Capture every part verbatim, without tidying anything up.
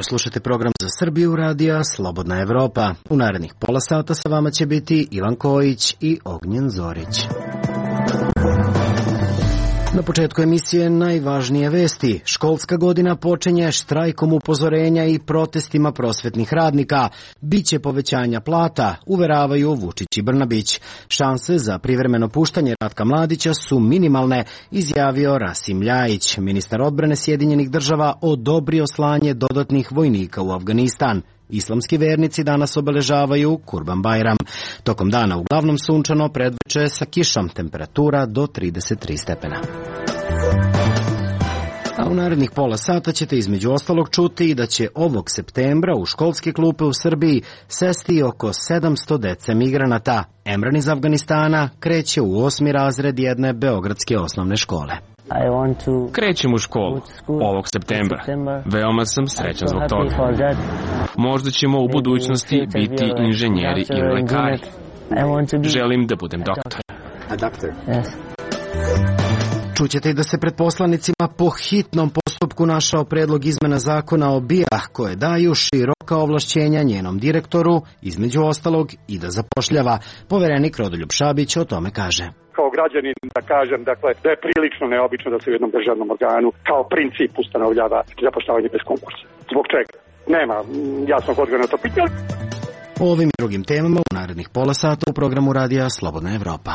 jutro, slušate program za Srbiju radija Slobodna Evropa. U narednih pola sata sa vama će biti Ivan Kojić i Ognjen Zorić. Na početku emisije najvažnije vesti. Školska godina počinje štrajkom upozorenja i protestima prosvetnih radnika. Biće povećanja plata, uveravaju Vučić i Brnabić. Šanse za privremeno puštanje Ratka Mladića su minimalne, izjavio Rasim Ljajić. Ministar odbrane Sjedinjenih država odobrio slanje dodatnih vojnika u Afganistan. Islamski vernici danas obeležavaju Kurban Bajram. Tokom dana uglavnom sunčano, predveče sa kišom, temperatura do trideset tri stepena. A u narednih pola sata ćete između ostalog čuti da će ovog septembra u školske klupe u Srbiji sesti oko sedamsto dece migranata. Emran iz Afganistana kreće u osmi razred jedne beogradske osnovne škole. Krećem u školu ovog septembra. Veoma sam srećan zbog toga. Možda ćemo u budućnosti biti inženjeri ili lekari. Želim da budem doktor. Čućete i da se pred poslanicima po hitnom postupku našao predlog izmena zakona o B I A koje daju široka ovlašćenja njenom direktoru, između ostalog i da zapošljava. Poverenik Rodoljub Šabić o tome kaže. Kao građanin da kažem dakle, da je prilično neobično da se u jednom državnom organu kao princip ustanovljava zapošljavanje bez konkursa. Zbog čega? Nema jasnog odgovora na to pitanje. O ovim i drugim temama u narednih pola sata u programu radija Slobodna Evropa.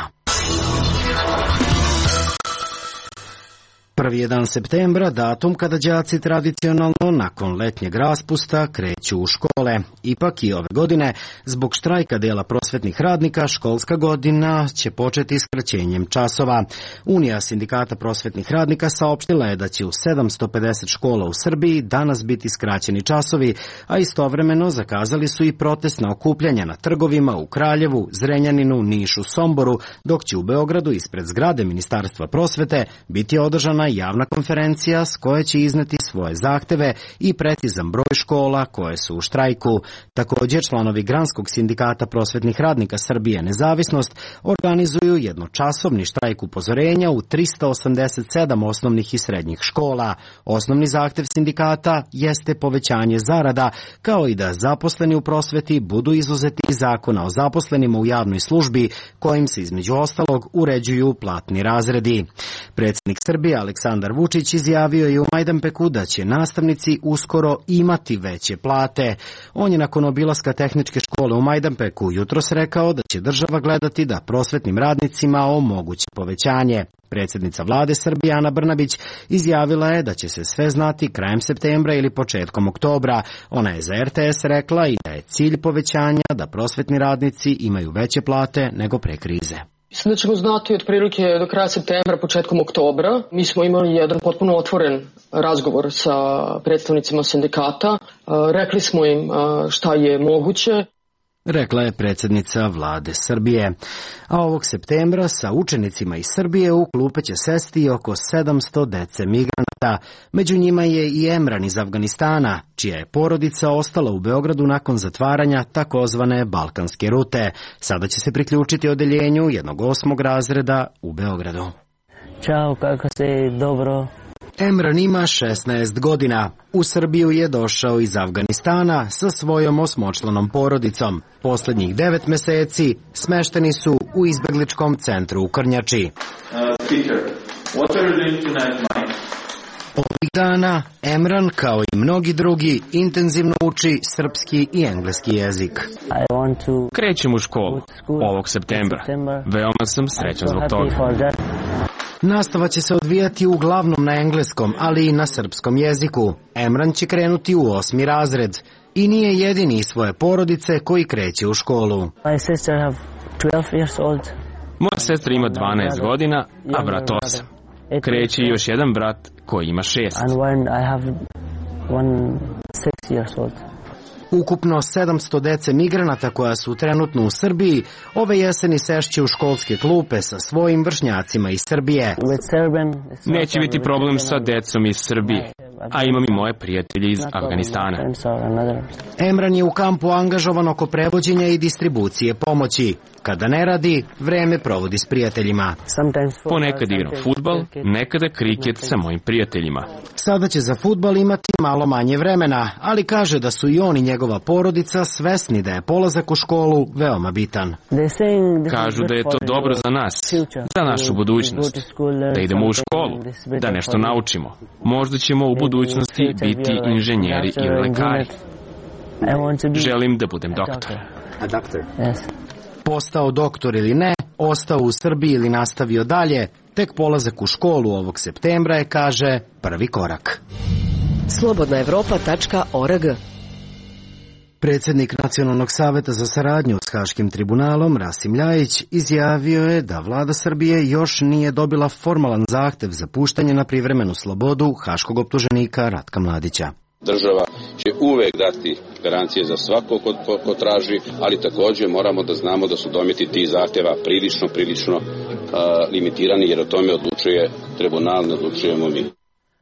Prvi je dan septembra, datum kada đaci tradicionalno nakon letnjeg raspusta kreću u škole. Ipak i ove godine, zbog štrajka dela prosvetnih radnika, školska godina će početi skraćenjem časova. Unija sindikata prosvetnih radnika saopštila je da će u sedamsto pedeset škola u Srbiji danas biti skraćeni časovi, a istovremeno zakazali su i protestna okupljanja na trgovima u Kraljevu, Zrenjaninu, Nišu, Somboru, dok će u Beogradu ispred zgrade Ministarstva prosvete biti održana javna konferencija s koje će izneti svoje zahteve i precizan broj škola koje su u štrajku. Također, članovi Granskog sindikata prosvetnih radnika Srbije Nezavisnost organizuju jednočasovni štrajk upozorenja u trista osamdeset sedam osnovnih i srednjih škola. Osnovni zahtev sindikata jeste povećanje zarada, kao i da zaposleni u prosveti budu izuzeti iz zakona o zaposlenima u javnoj službi, kojim se između ostalog uređuju platni razredi. Predsjednik Srbije Aleksandar Vučić izjavio je u Majdanpeku da će nastavnici uskoro imati veće plate. On je nakon obilaska tehničke škole u Majdanpeku jutros rekao da će država gledati da prosvetnim radnicima omogući povećanje. Predsjednica vlade Srbije Ana Brnabić izjavila je da će se sve znati krajem septembra ili početkom oktobra. Ona je za R T S rekla i da je cilj povećanja da prosvetni radnici imaju veće plate nego pre krize. Mislim da ćemo znati otprilike do kraja septembra, početkom oktobra. Mi smo imali jedan potpuno otvoren razgovor sa predstavnicima sindikata. Rekli smo im šta je moguće. Rekla je predsjednica vlade Srbije. A ovog septembra sa učenicima iz Srbije u klupe će sesti oko sedamsto dece migranata. Među njima je i Emran iz Afganistana, čija je porodica ostala u Beogradu nakon zatvaranja takozvane balkanske rute. Sada će se priključiti odeljenju jednog osmog razreda u Beogradu. Ćao, kako se, dobro? Emran ima šesnaest godina. U Srbiju je došao iz Afganistana sa svojom osmočlanom porodicom. Poslednjih devet meseci smešteni su u izbegličkom centru u Krnjači. Ovih dana Emran, kao i mnogi drugi, intenzivno uči srpski i engleski jezik. Krećem u školu ovog septembra. Veoma sam srećan zbog toga. Nastava će se odvijati uglavnom na engleskom, ali i na srpskom jeziku. Emran će krenuti u osmi razred i nije jedini iz svoje porodice koji kreće u školu. Moja sestra ima dvanaest godina, a brat osam. Kreće još jedan brat koji ima šest. Ukupno sedamsto dece migranata koja su trenutno u Srbiji ove jeseni sešće u školske klupe sa svojim vršnjacima iz Srbije. Neće biti problem sa decom iz Srbije, a imam i moje prijatelje iz Afganistana. Emran je u kampu angažovan oko prevođenja i distribucije pomoći. Kada ne radi, vreme provodi s prijateljima. Ponekad igram fudbal, nekada kriket sa mojim prijateljima. Sada će za fudbal imati malo manje vremena, ali kaže da su i on i njegova porodica svesni da je polazak u školu veoma bitan. Kažu da je to dobro za nas, za našu budućnost, da idemo u školu, da nešto naučimo. Možda ćemo u budućnosti biti inženjeri ili lekari. Želim da budem doktor. Postao doktor ili ne, ostao u Srbiji ili nastavio dalje, tek polazak u školu ovog septembra je, kaže, prvi korak. slobodna evropa tačka org. Predsjednik Nacionalnog saveta za saradnju s Haškim tribunalom, Rasim Ljajić, izjavio je da vlada Srbije još nije dobila formalan zahtev za puštanje na privremenu slobodu haškog optuženika Ratka Mladića. Država će uvek dati garancije za svako ko, ko, ko traži, ali također moramo da znamo da su dometi tih zahtjeva prilično, prilično uh, limitirani, jer o tome odlučuje tribunal, ne odlučujemo mi.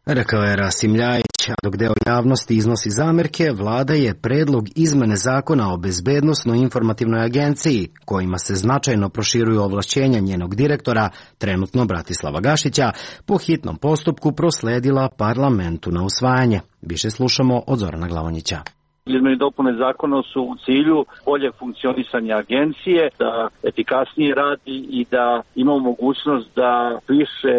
Rekao je Rasim Ljajić, a dok deo javnosti iznosi zamerke, vlada je predlog izmene zakona o bezbednosno-informativnoj agenciji, kojima se značajno proširuju ovlašćenja njenog direktora, trenutno Bratislava Gašića, po hitnom postupku prosledila parlamentu na usvajanje. Više slušamo od Zorana Glavonjića. Izmene i dopune zakona su u cilju bolje funkcionisanja agencije, da efikasnije radi i da ima mogućnost da više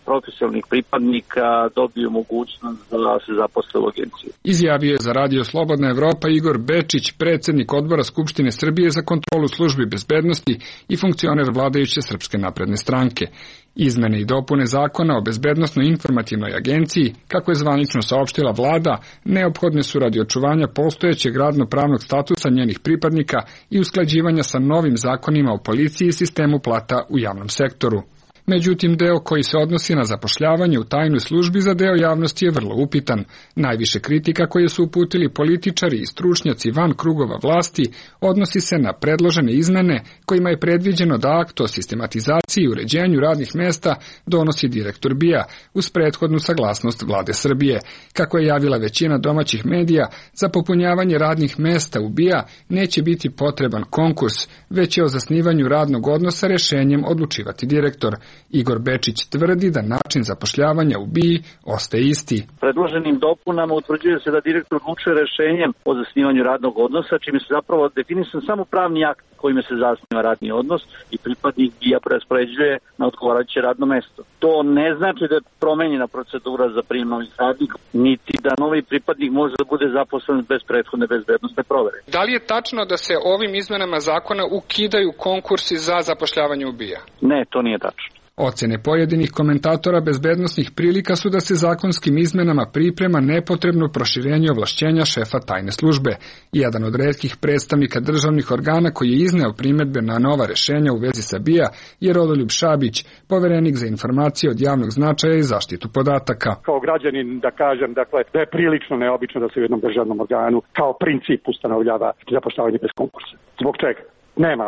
profesionalnih pripadnika dobiju mogućnost da se zaposle u agenciji. Izjavio je za Radio Slobodna Evropa Igor Bečić, predsjednik odbora Skupštine Srbije za kontrolu službi bezbednosti i funkcioner vladajuće Srpske napredne stranke. Izmene i dopune zakona o bezbednosno-informativnoj agenciji, kako je zvanično saopštila vlada, neophodne su radi očuvanja postojećeg radno-pravnog statusa njenih pripadnika i usklađivanja sa novim zakonima o policiji i sistemu plata u javnom sektoru. Međutim, deo koji se odnosi na zapošljavanje u tajnoj službi za deo javnosti je vrlo upitan. Najviše kritika koje su uputili političari i stručnjaci van krugova vlasti odnosi se na predložene izmene kojima je predviđeno da akt o sistematizaciji i uređenju radnih mesta donosi direktor B I A uz prethodnu saglasnost vlade Srbije. Kako je javila većina domaćih medija, za popunjavanje radnih mesta u B I A neće biti potreban konkurs, već je o zasnivanju radnog odnosa rešenjem odlučivati direktor. Igor Bečić tvrdi da način zapošljavanja u B I A ostaje isti. Predloženim dopunama utvrđuje se da direktor odlučuje rešenjem o zasnivanju radnog odnosa, čime se zapravo definisan samo pravni akt kojime se zasniva radni odnos i pripadnik B I A preraspoređuje na odgovarajuće radno mesto. To ne znači da je promenjena procedura za prijem novih radnika, niti da novi pripadnik može da bude zaposlen bez prethodne bezbednosne provere. Da li je tačno da se ovim izmenama zakona ukidaju konkursi za zapošljavanje u B I A? Ne, to nije tačno. Ocene pojedinih komentatora bezbednosnih prilika su da se zakonskim izmenama priprema nepotrebno proširenje ovlašćenja šefa tajne službe. Jedan od retkih predstavnika državnih organa koji je izneo primedbe na nova rešenja u vezi sa B I A je Rodoljub Šabić, poverenik za informacije od javnog značaja i zaštitu podataka. Kao građanin da kažem dakle, da je prilično neobično da se u jednom državnom organu kao princip ustanovljava zapošljavanje bez konkursa. Zbog čega? Nema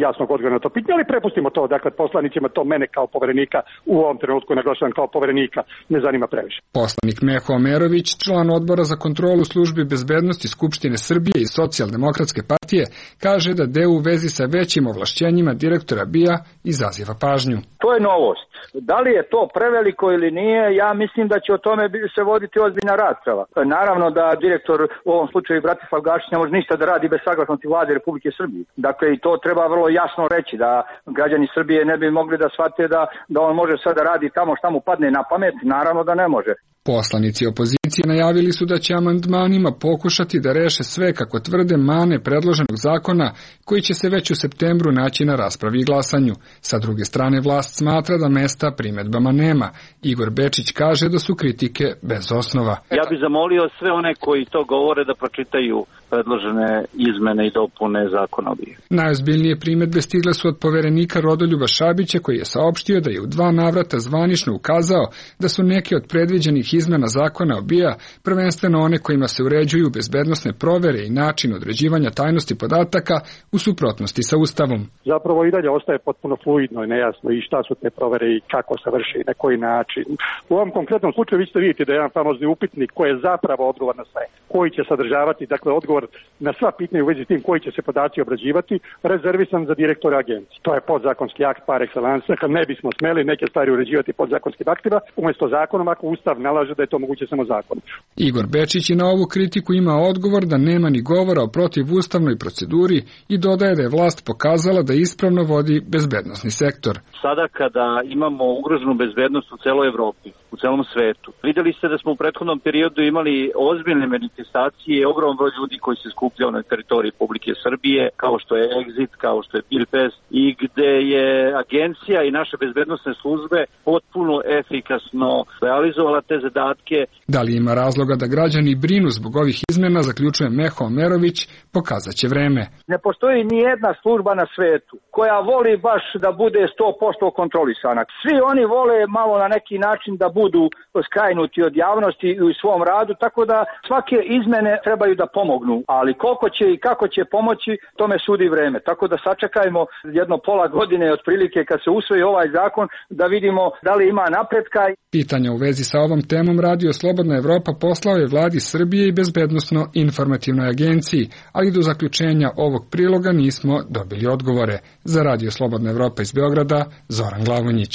jasnog odgovora na to pitanje, ali prepustimo to, dakle, poslanicima, to mene kao poverenika, u ovom trenutku naglašavam kao poverenika, ne zanima previše. Poslanik Meho Omerović, član odbora za kontrolu službi bezbednosti Skupštine Srbije i Socijaldemokratske partije, kaže da deo u vezi sa većim ovlašćenjima direktora B I A izaziva pažnju. To je novost. Da li je to preveliko ili nije, ja mislim da će o tome se voditi ozbiljna rasprava. Naravno da direktor, u ovom slučaju Bratislav Gašić, ne može ništa da radi bez saglasnosti vlade Republike Srbije. Dakle, i to treba vrlo jasno reći, da građani Srbije ne bi mogli da shvate da, da on može sad da radi tamo šta mu padne na pamet, naravno da ne može. Poslanici opozicije najavili su da će amandmanima pokušati da reše sve, kako tvrde, mane predloženog zakona koji će se već u septembru naći na raspravi i glasanju. Sa druge strane, vlast smatra da mesta primedbama nema. Igor Bečić kaže da su kritike bez osnova. Ja bih zamolio sve one koji to govore da pročitaju predložene izmene i dopune zakona o B I A. Najozbiljnije primedbe stigle su od poverenika Rodoljuba Šabića, koji je saopštio da je u dva navrata zvanično ukazao da su neke od predviđenih izmena zakona o B I A, prvenstveno one kojima se uređuju bezbednosne provere i način određivanja tajnosti podataka, u suprotnosti sa Ustavom. Zapravo i dalje ostaje potpuno fluidno i nejasno i šta su te provere i kako se vrši i na koji način. U ovom konkretnom slučaju vi ćete vidjeti da je jedan famozni upitnik koji je zapravo odgovor na sve, koji će sadržavati, dakle, odgovor odgovor na sva pitanja u vezi s tim koji će se podaci obrađivati rezervisan za direktora agencije. To je podzakonski akt par excellence, kad ne bismo smeli neke stvari uređivati podzakonskim aktima, umjesto zakonom ako Ustav nalaže da je to moguće samo zakonom. Igor Bečić je na ovu kritiku ima odgovor da nema ni govora o protivustavnoj proceduri i dodaje da je vlast pokazala da ispravno vodi bezbednosni sektor. Sada kada imamo ugroženu bezbednost u celoj Evropi, u celom svetu, videli ste da smo u prethodnom periodu imali ozbiljne manifestacije, ogroman broj ljudi koji se skupljao na teritoriji Republike Srbije, kao što je Exit, kao što je Pilfest, i gde je agencija i naše bezbednosne službe potpuno efikasno realizovala te zadatke. Da li ima razloga da građani brinu zbog ovih izmena, zaključuje Meho Omerović, pokazat će vreme. Ne postoji ni jedna služba na svetu koja voli baš da bude sto posto kontrolisana. Svi oni vole malo na neki način da budu skrajnuti od javnosti u svom radu, tako da svake izmene trebaju da pomognu, ali koliko će i kako će pomoći, tome sudi vreme. Tako da sačekajmo jedno pola godine otprilike kad se usvoji ovaj zakon da vidimo da li ima napretka. Pitanja u vezi sa ovom temom Radio Slobodna Evropa poslao je vladi Srbije i Bezbednosno-informativnoj agenciji, ali do zaključenja ovog priloga nismo dobili odgovore. Za Radio Slobodna Evropa iz Beograda, Zoran Glavonjić.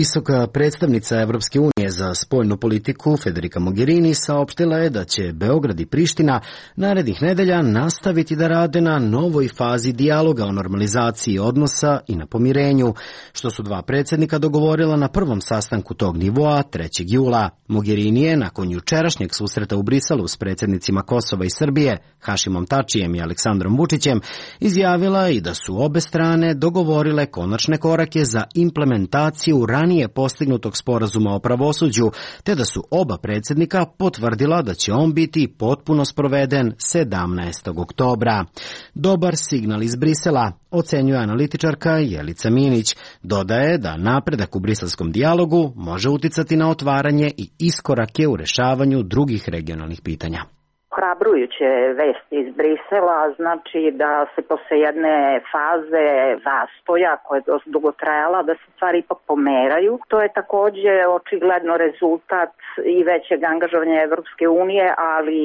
Visoka predstavnica Evropske unije za spoljnu politiku Federica Mogherini saopštila je da će Beograd i Priština narednih nedelja nastaviti da rade na novoj fazi dijaloga o normalizaciji odnosa i na pomirenju, što su dva predsjednika dogovorila na prvom sastanku tog nivoa trećeg jula. Mogherini je nakon jučerašnjeg susreta u Briselu s predsjednicima Kosova i Srbije, Hašimom Tačijem i Aleksandrom Vučićem, izjavila i da su obe strane dogovorile konačne korake za implementaciju ranije postignutog sporazuma o pravosuđu, te da su oba predsjednika potvrdila da će on biti potpuno sproveden sedamnaestog oktobra. Dobar signal iz Brisela, ocenjuje analitičarka Jelica Minić. Dodaje da napredak u briselskom dijalogu može uticati na otvaranje i iskorake u rešavanju drugih regionalnih pitanja. Hrabrujuće vesti iz Brisela, znači da se posle jedne faze zastoja koja je dosta dugo trajala, da se stvari ipak pomeraju. To je takođe očigledno rezultat i većeg angažovanja Evropske unije, ali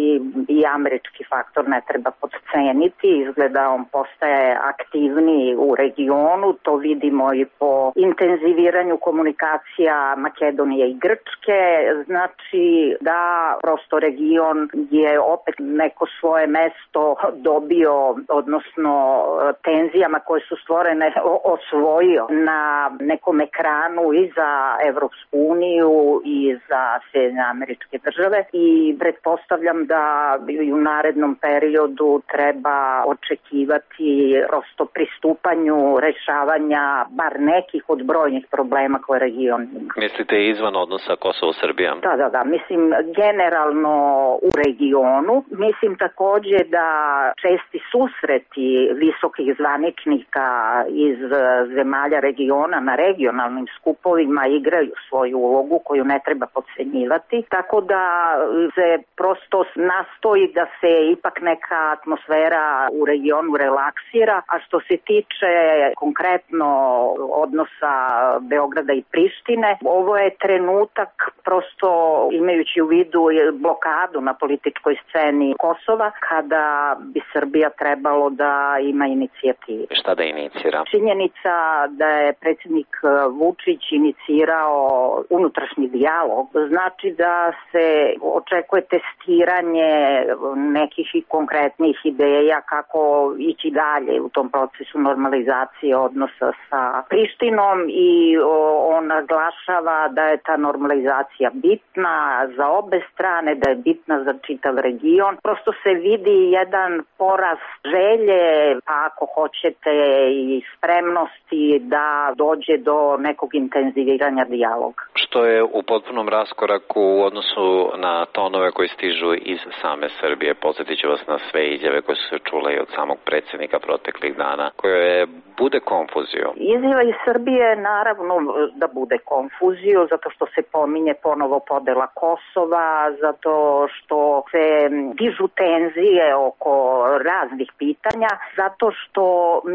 i američki faktor ne treba podceniti. Izgleda on postaje aktivniji u regionu, to vidimo i po intenziviranju komunikacija Makedonije i Grčke. Znači da prosto region je opet neko svoje mesto dobio, odnosno tenzijama koje su stvorene osvojio na nekom ekranu i za Evropsku uniju i za Sjedinjene Američke Države i pretpostavljam da i u narednom periodu treba očekivati prosto pristupanju rešavanja bar nekih od brojnih problema koje region ima. Mislite izvan odnosa Kosovo-Srbija? Da, da, da. Mislim generalno u regionu. Mislim takođe da česti susreti visokih zvaničnika iz zemalja regiona na regionalnim skupovima igraju svoju ulogu koju ne treba podcenjivati. Tako da se prosto nastoji da se ipak neka atmosfera u regionu relaksira, a što se tiče konkretno odnosa Beograda i Prištine, ovo je trenutak prosto imajući u vidu blokadu na političkoj sceni Kosova, kada bi Srbija trebalo da ima inicijativu. Šta da inicira? Činjenica da je predsjednik Vučić inicirao unutrašnji dijalog, znači da se očekuje testiranje nekih i konkretnih ideja kako ići dalje u tom procesu normalizacije odnosa sa Prištinom i on naglašava da je ta normalizacija bitna za obe strane, da je bitna za čitav region. Prosto se vidi jedan porast želje, pa ako hoćete i spremnosti da dođe do nekog intenziviranja dijaloga. Što je u potpunom raskoraku u odnosu na tonove koji stižu iz same Srbije. Podsjetit ću vas na sve izjave koje su se čule i od samog predsjednika proteklih dana, koje je bude konfuziju? Izjava iz Srbije naravno da bude konfuziju, zato što se pominje ponovo podela Kosova, zato što se dižu tenzije oko raznih pitanja, zato što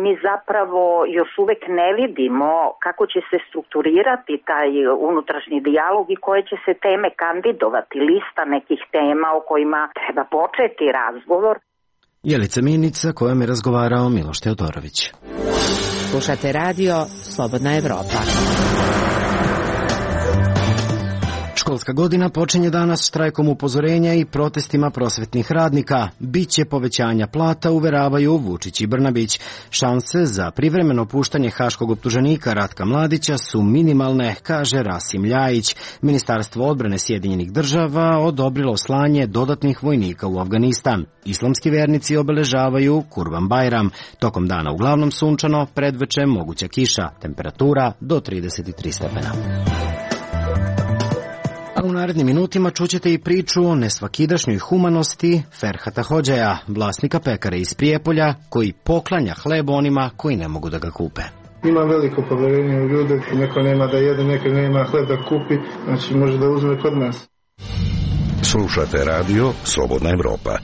mi zapravo još uvek ne vidimo kako će se strukturirati taj unutrašnji dijalog i koje će se teme kandidovati, lista nekih tema o kojima treba početi razgovor. Jelica Minica, kojom je razgovarao Miloš Teodorović. Slušate radio Slobodna Evropa. Školska godina počinje danas štrajkom upozorenja i protestima prosvetnih radnika. Biće povećanja plata, uveravaju Vučić i Brnabić. Šanse za privremeno puštanje haškog optuženika Ratka Mladića su minimalne, kaže Rasim Ljajić. Ministarstvo odbrane Sjedinjenih država odobrilo slanje dodatnih vojnika u Afganistan. Islamski vernici obeležavaju Kurban Bajram. Tokom dana uglavnom sunčano, predveče moguća kiša, temperatura do trideset tri stepena. A u narednim minutima čućete i priču o nesvakidašnjoj humanosti Ferhata Hodžaja, vlasnika pekare iz Prijepolja, koji poklanja hleb onima koji ne mogu da ga kupe. Ima veliko povjerenje u ljude, neko nema da jede, neko nema hleb da kupi, znači može da uzme kod nas. Slušate radio Slobodna Evropa.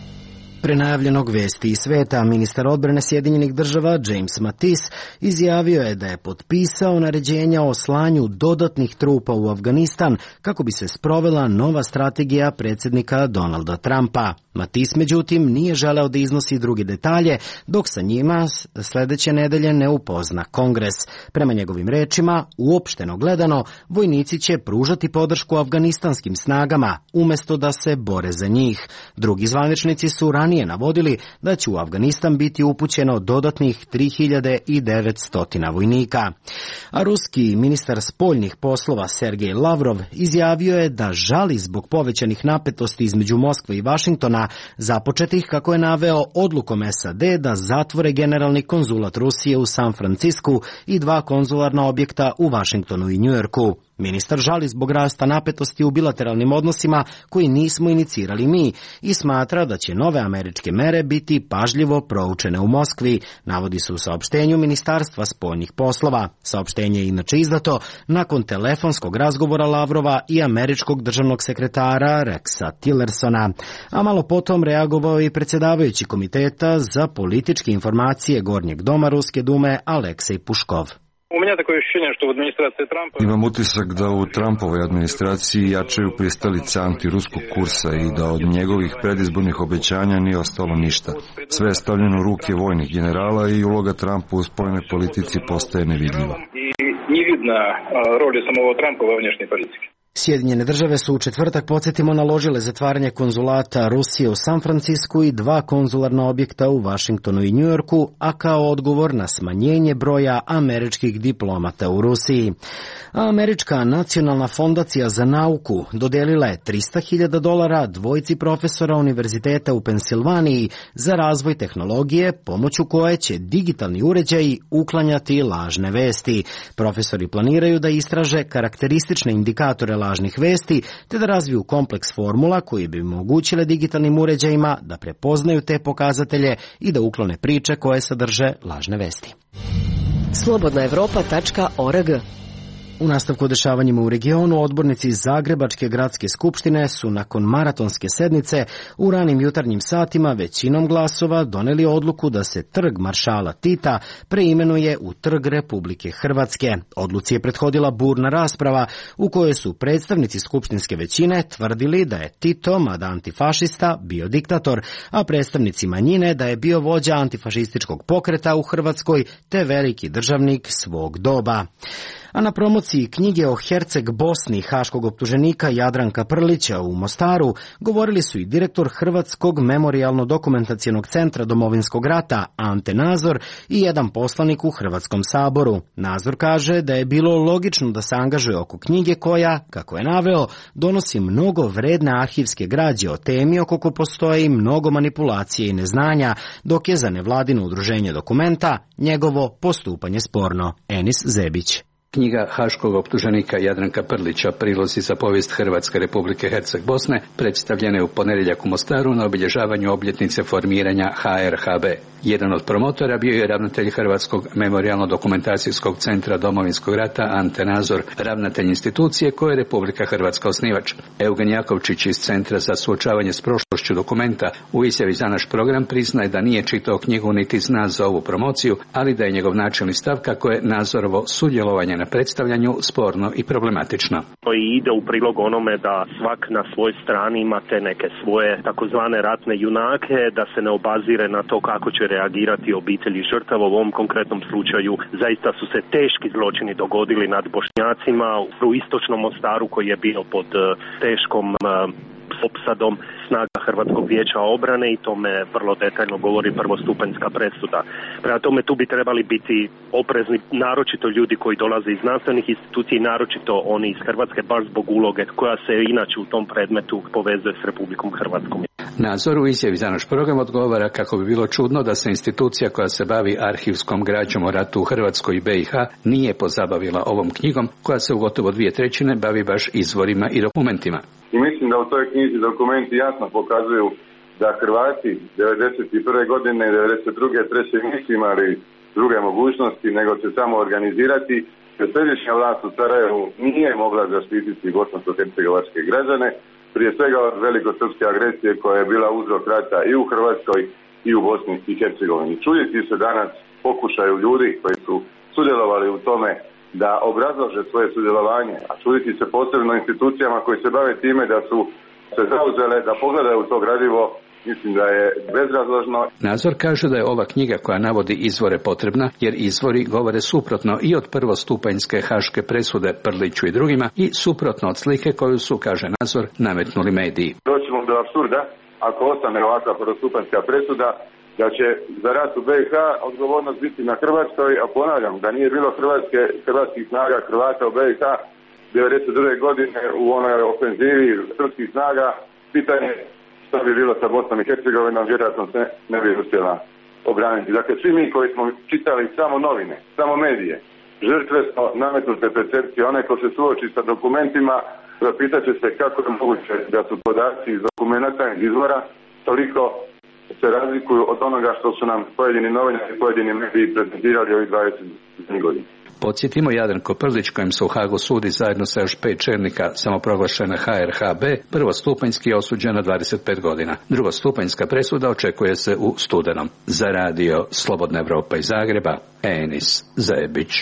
Prenajavljenog vesti iz sveta, ministar odbrane Sjedinjenih država James Mattis izjavio je da je potpisao naređenja o slanju dodatnih trupa u Afganistan kako bi se sprovela nova strategija predsjednika Donalda Trumpa. Mattis, međutim, nije želeo da iznosi druge detalje, dok sa njima sledeće nedelje ne upozna Kongres. Prema njegovim rečima, uopšteno gledano, vojnici će pružati podršku afganistanskim snagama, umesto da se bore za njih. Drugi zvaničnici su ranije navodili da će u Afganistan biti upućeno dodatnih tri hiljade devetsto vojnika. A ruski ministar spoljnih poslova Sergej Lavrov izjavio je da žali zbog povećanih napetosti između Moskve i Vašingtona, započetih, kako je naveo, odlukom S A D da zatvore generalni konzulat Rusije u San Francisku i dva konzularna objekta u Vašingtonu i Njujorku. Ministar žali zbog rasta napetosti u bilateralnim odnosima koji nismo inicirali mi i smatra da će nove američke mere biti pažljivo proučene u Moskvi, navodi se u saopštenju Ministarstva spoljnih poslova. Saopštenje je inače izdato nakon telefonskog razgovora Lavrova i američkog državnog sekretara Rexa Tillersona. A malo potom reagovao i predsjedavajući komiteta za političke informacije Gornjeg doma Ruske dume Aleksej Puškov. Imam utisak da u Trumpovoj administraciji jačaju pristalice antiruskog kursa i da od njegovih predizbornih obećanja nije ostalo ništa. Sve je stavljeno u ruke vojnih generala i uloga Trumpa u spoljnoj politici postaje nevidljiva. Sjedinjene države su u četvrtak, podsjetimo, naložile zatvaranje konzulata Rusije u San Francisku i dva konzularna objekta u Vašingtonu i Njujorku, a kao odgovor na smanjenje broja američkih diplomata u Rusiji. A Američka nacionalna fondacija za nauku dodelila je trista hiljada dolara dvojici profesora univerziteta u Pensilvaniji za razvoj tehnologije, pomoću koje će digitalni uređaji uklanjati lažne vesti. Profesori planiraju da istraže karakteristične indikatore lažnih vesti, te da razviju kompleks formula koji bi omogućile digitalnim uređajima da prepoznaju te pokazatelje i da uklone priče koje sadrže lažne vesti. slobodna evropa tačka org. U nastavku o dešavanjima u regionu, odbornici Zagrebačke gradske skupštine su nakon maratonske sednice u ranim jutarnjim satima većinom glasova doneli odluku da se trg Maršala Tita preimenuje u Trg Republike Hrvatske. Odluci je prethodila burna rasprava u kojoj su predstavnici skupštinske većine tvrdili da je Tito, mada antifašista, bio diktator, a predstavnici manjine da je bio vođa antifašističkog pokreta u Hrvatskoj te veliki državnik svog doba. A na promociji knjige o Herceg Bosni haškog optuženika Jadranka Prlića u Mostaru govorili su i direktor Hrvatskog memorijalno-dokumentacijenog centra Domovinskog rata Ante Nazor i jedan poslanik u Hrvatskom saboru. Nazor kaže da je bilo logično da se angažuje oko knjige koja, kako je naveo, donosi mnogo vredne arhivske građe o temi oko koje postoji mnogo manipulacije i neznanja, dok je za nevladino udruženje Dokumenta njegovo postupanje sporno. Enis Zebić. Knjiga haškog optuženika Jadranka Prlića Prilozi za povijest Hrvatske Republike Herceg Bosne predstavljena je u ponedjeljak u Mostaru na obilježavanju obljetnice formiranja H R H B. Jedan od promotora bio je ravnatelj Hrvatskog memorijalno-dokumentacijskog centra Domovinskog rata Ante Nazor, ravnatelj institucije koje je Republika Hrvatska osnivač. Eugen Jakovčić iz Centra za suočavanje s prošlošću dokumenta u izjavi za naš program priznaje da nije čitao knjigu niti zna za ovu promociju, ali da je njegov načelni stav kako je Nazorovo sudjelovanje na predstavljanju sporno i problematično. To i ide u prilog onome da svak na svoj strani imate neke svoje takozvane ratne junake, da se ne obazire na to kako će reagirati obitelji žrtava. U ovom konkretnom slučaju zaista su se teški zločini dogodili nad Bošnjacima u istočnom Mostaru koji je bio pod teškom opsadom snaga Hrvatskog vijeća obrane i tome vrlo detaljno govori prvostupanjska presuda. Prema tome tu bi trebali biti oprezni naročito ljudi koji dolaze iz znanstvenih institucija, naročito oni iz Hrvatske, baš zbog uloge koja se inače u tom predmetu povezuje s Republikom Hrvatskom. Nazor u izjavi za naš program odgovara kako bi bilo čudno da se institucija koja se bavi arhivskom građom o ratu u Hrvatskoj i B i H nije pozabavila ovom knjigom koja se u gotovo dvije trećine bavi baš izvorima i dokumentima. I mislim da u toj knjizi dokumenti jasno pokazuju da Hrvati devedeset prve godine i devedeset druge treće nisu imali druge mogućnosti nego se samo organizirati, jer središnja vlast u Sarajevu nije mogla zaštititi bosansko-hercegovačke građane, prije svega od velikosrpske agresije koja je bila uzrok rata i u Hrvatskoj i u Bosni i Hercegovini. Čuditi se danas pokušaju ljudi koji su sudjelovali u tome da obrazlože svoje sudjelovanje, a čuditi se posebno institucijama koji se bave time da su se zauzele da pogledaju to gradivo, mislim da je bezrazložno. Nazor kaže da je ova knjiga koja navodi izvore potrebna, jer izvori govore suprotno i od prvostupanjske haške presude Prliću i drugima i suprotno od slike koju su, kaže Nazor, nametnuli mediji. Doćemo do apsurda, ako ostane ovakva prvostupanjska presuda, da će za rat u B i H odgovornost biti na Hrvatskoj, a ponavljam da nije bilo hrvatske, hrvatskih snaga Hrvata u B i H devedeset druge godine u onoj ofenzivi srpskih snaga, pitanje što bi bilo sa Bosnom i Hercegovinom, vjerojatno se ne bi uspjela obraniti. Dakle, svi mi koji smo čitali samo novine, samo medije, žrtve smo nametnute percepcije. Onaj ko se suoči sa dokumentima, zapitat će se kako je moguće da su podaci iz dokumenta iz izvora toliko se razlikuju od onoga što su nam pojedini novinari i pojedini mediji prezentirali ovih dvadeset godina. Podsjetimo, Jadranko Prlić, kojem se u Hagu sudi zajedno sa još pet čelnika samoproglašene H R H B, prvostupanjski je osuđen na dvadeset pet godina. Drugostupanjska presuda očekuje se u studenom. Za radio Slobodna Evropa iz Zagreba, Enis Zajebić.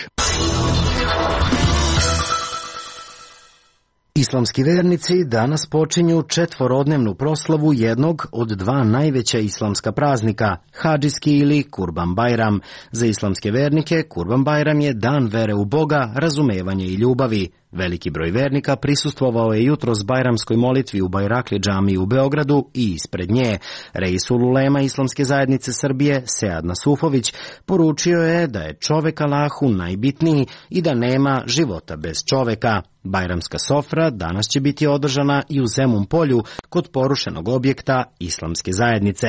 Islamski vernici danas počinju četvorodnevnu proslavu jednog od dva najveća islamska praznika, hadžijski ili Kurban Bajram. Za islamske vernike Kurban Bajram je dan vere u Boga, razumevanja i ljubavi. Veliki broj vernika prisustvovao je jutros bajramskoj molitvi u Bajrakli džamiji u Beogradu i ispred nje. Reisul ulema Islamske zajednice Srbije, Sead Nasufović, poručio je da je čovek Allahu najbitniji i da nema života bez čoveka. Bajramska sofra danas će biti održana i u Zemun polju kod porušenog objekta Islamske zajednice.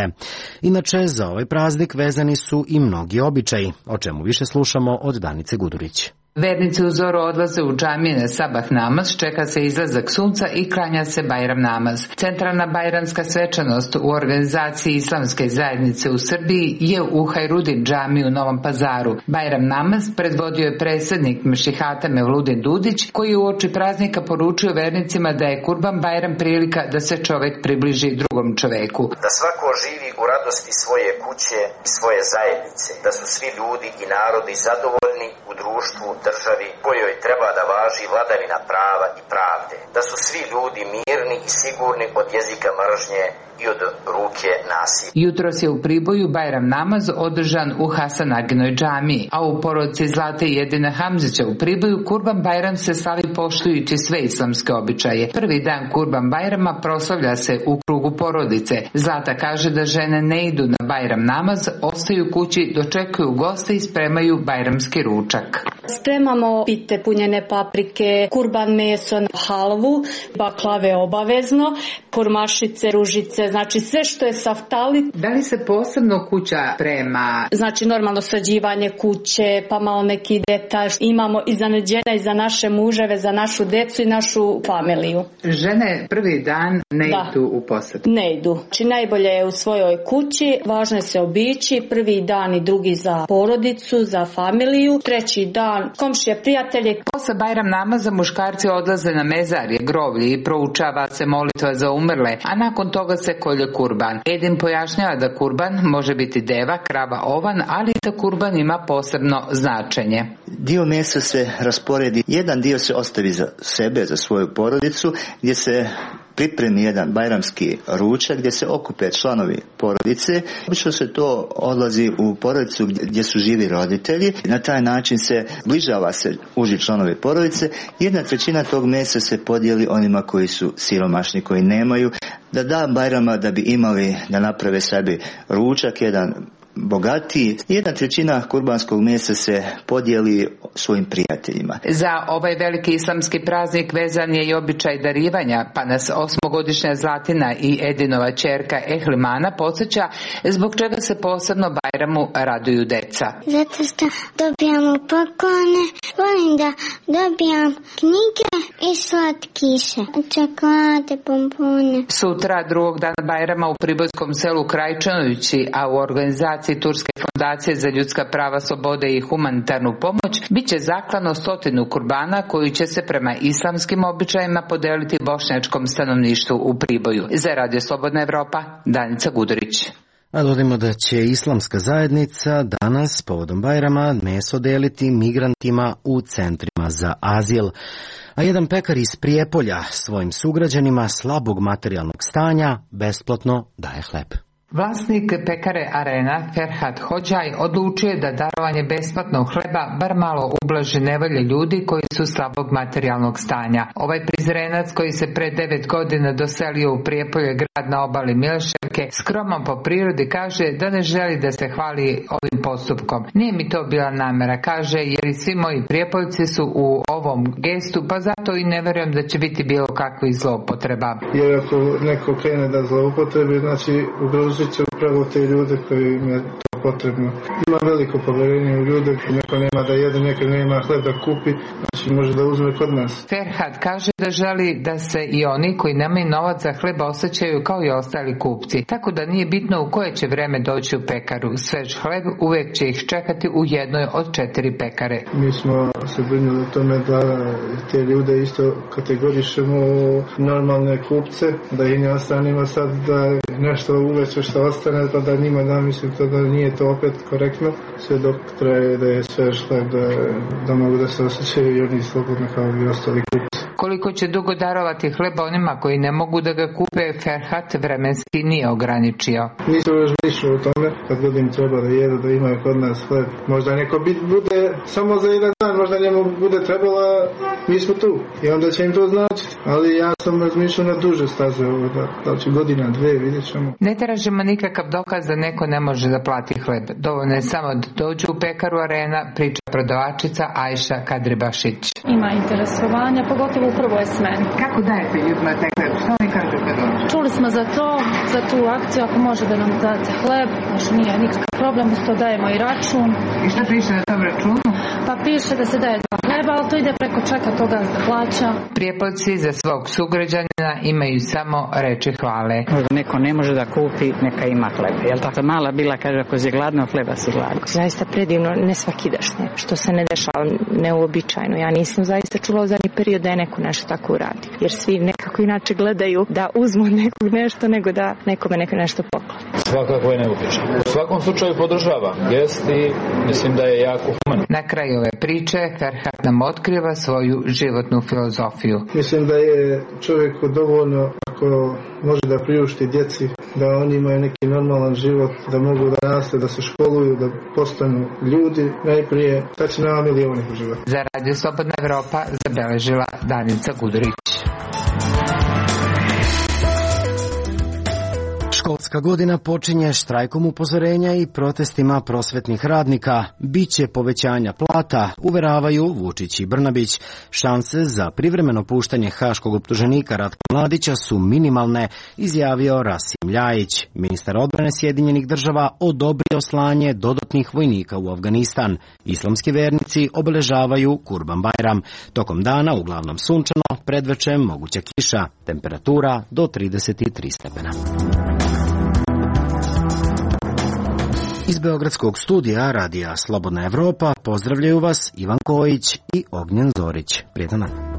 Inače, za ovaj praznik vezani su i mnogi običaji, o čemu više slušamo od Danice Gudurić. Vernici u zoru odlaze u džamije na sabah namaz, čeka se izlazak sunca i klanja se Bajram namaz. Centralna bajramska svečanost u organizaciji Islamske zajednice u Srbiji je u Hajrudin džamiji u Novom Pazaru. Bajram namaz predvodio je predsjednik Mešihata Mevludin Dudić, koji u oči praznika poručio vernicima da je Kurban Bajram prilika da se čovek približi drugom čoveku. Da svako živi u radosti svoje kuće i svoje zajednice, da su svi ljudi i narodi zadovoljni u društvu, državi kojoj treba da važi vladavina prava i pravde, da su svi ljudi mirni i sigurni od jezika mržnje i od ruke nasilja. Jutros je u Priboju Bajram namaz održan u Hasanaginoj džamiji, a u porodici Zlate i Jedina Hamzića u Priboju Kurban Bajram se slavi poštujući sve islamske običaje. Prvi dan Kurban Bajrama proslavlja se u krugu krugu porodice. Zlata kaže da žene ne idu na Bajram namaz, ostaju kući, dočekuju goste i spremaju bajramski ručak. Spremamo pite punjene paprike, kurban meso, halvu, baklave obavezno, kurmašice, ružice, znači sve što je saftali. Da li se posebno kuća sprema? Znači normalno sređivanje kuće, pa malo neki detalj. Imamo iznenađenja i za naše muževe, za našu decu i našu familiju. Žene prvi dan ne da. idu u posjet? Ne idu. Znači najbolje je u svojoj kući, važno je se obići, prvi dan i drugi za porodicu, za familiju, treći dan komšije, prijatelje. Posle Bajram namaza muškarci odlaze na mezarje, groblje i proučava se molitva za umrle, a nakon toga se kolje kurban. Edin pojašnjava da kurban može biti deva, krava, ovan, ali da kurban ima posebno značenje. Dio mesa se rasporedi, jedan dio se ostavi za sebe, za svoju porodicu, gdje se pripremi jedan bajramski ručak gdje se okupe članovi porodice. Obično se to odlazi u porodicu gdje su živi roditelji. Na taj način se bližava se uži članovi porodice. Jedna trećina tog mesa se podijeli onima koji su siromašni, koji nemaju, da da Bajrama da bi imali da naprave sebi ručak, jedan bogatiji. Jedna trećina kurbanskog mesa se podijeli svojim prijateljima. Za ovaj veliki islamski praznik vezan je i običaj darivanja, pa nas osmogodišnja Zlatina i Edinova ćerka Ehlimana podsjeća zbog čega se posebno Bajramu raduju deca. Zato što dobijamo poklone, volim da dobijam knjige i slatkiše, čokolade, bombone. Sutra, drugog dana Bajrama u pribojskom selu Krajčanovići, a u organizaciji Turske fondacije za ljudska prava, slobode i humanitarnu pomoć, bit će zaklano stotinu kurbana koji će se prema islamskim običajima podeliti bošnjačkom stanovništvu u Priboju. Za Radio Slobodna Evropa, Danica Gudurić. A dodajmo da će islamska zajednica danas povodom Bajrama meso deliti migrantima u centrima za azil. A jedan pekar iz Prijepolja svojim sugrađanima slabog materijalnog stanja besplatno daje hleb. Vlasnik pekare Arena, Ferhat Hođaj, odlučio je da darovanje besplatnog hleba bar malo ublaži nevolje ljudi koji su slabog materijalnog stanja. Ovaj Prizrenac, koji se pre devet godina doselio u Prijepolje, grad na obali Mileševke, skroman po prirodi, kaže da ne želi da se hvali ovim postupkom. Nije mi to bila namera, kaže, jer i svi moji Prijepoljci su u ovom gestu, pa zato i ne verujem da će biti bilo kakvih zloupotreba. Jer ako neko krene da zloupotrebi, znači ugrozit će upravo te ljude koji im je to potrebno. Ima veliko povjerenje u ljude, neko nema da jede, neko nema hleb da kupi, znači može da uzme kod nas. Ferhat kaže da želi da se i oni koji nemaju novac za hleba osjećaju kao i ostali kupci, tako da nije bitno u koje će vreme doći u pekaru. Svež hleb uvek će ih čekati u jednoj od četiri pekare. Mi smo se brinuli o tome da te ljude isto kategorišemo u normalne kupce, da i ne ostanimo sad da nešto uveće što ostane, pa da njima da mislim to da nije to opet korektno, sve dok traje da je svež hleb, da, da mogu da se osjećaju i oni slobodno kao i ostali kupci. Koliko će dugo darovati hleba onima koji ne mogu da ga kupe, Ferhat vremenski nije ograničio. Nisam još mišljio o tome, kad god im treba da jedu, da imaju kod nas hleb. Možda neko bude samo za jedan dan, možda njemu bude trebala, mi smo tu i onda će im to značiti. Ali ja sam razmišljao na duže staze ovo, da, da će godina, dve, vidjet ćemo. Ne tražimo nikakav dokaz da neko ne može da plati hleb. Dovoljno je samo da dođu u pekaru Arena, priča prodavačica Ajša Kadribašić. Ima interesovanja, pogotovo u prvoj smeni. Kako dajete ljudima taj hleb? Što oni kažu kad dođu? Čuli smo za to, za tu akciju, ako može da nam date hleb, znači nije nikakav problem, uz to dajemo i račun. I šta piše na tom računu? Pa piše da se daje dva hleba, ali to ide preko čeka toga da plaća. Prijepoljci za svog sugrađanina imaju samo reči hvale. Neko ne može da kupi, neka ima hleba. Jel tako? Mala bila kaže, ako si gladno, hleba si gladno. Zaista predivno, ne svakidašnje, što se ne dešava neuobičajno. Ja nisam zaista čula u zadnji period da je neko nešto tako uradi. Jer svi nekako inače gledaju da uzmu od nekog nešto, nego da nekome neko nešto pokloni. Svakako je neuobičajno. U svakom slučaju podržava gest i mislim da je jako human. Na kraju ove priče Ferhat nam otkriva svoju životnu filozofiju. Mislim da je čovjeku dovoljno ako može da priušti djeci, da oni imaju neki normalan život, da mogu da naste, da se školuju, da postanu ljudi, najprije tad će nama milijoni u životu. Za Radio Slobodna Evropa zabeležila Danica Gudurić. Školska godina počinje štrajkom upozorenja i protestima prosvetnih radnika. Biće povećanja plata, uveravaju Vučić i Brnabić. Šanse za privremeno puštanje haškog optuženika Ratka Mladića su minimalne, izjavio Rasim Ljajić. Ministar odbrane Sjedinjenih država odobrio slanje dodatnih vojnika u Afganistan. Islamski vernici obeležavaju Kurban Bajram. Tokom dana uglavnom sunčano, predvečer moguća kiša, temperatura do trideset tri stepena. Iz Beogradskog studija radija Slobodna Evropa pozdravljaju vas Ivan Kojić i Ognjen Zorić. Prijetan dan.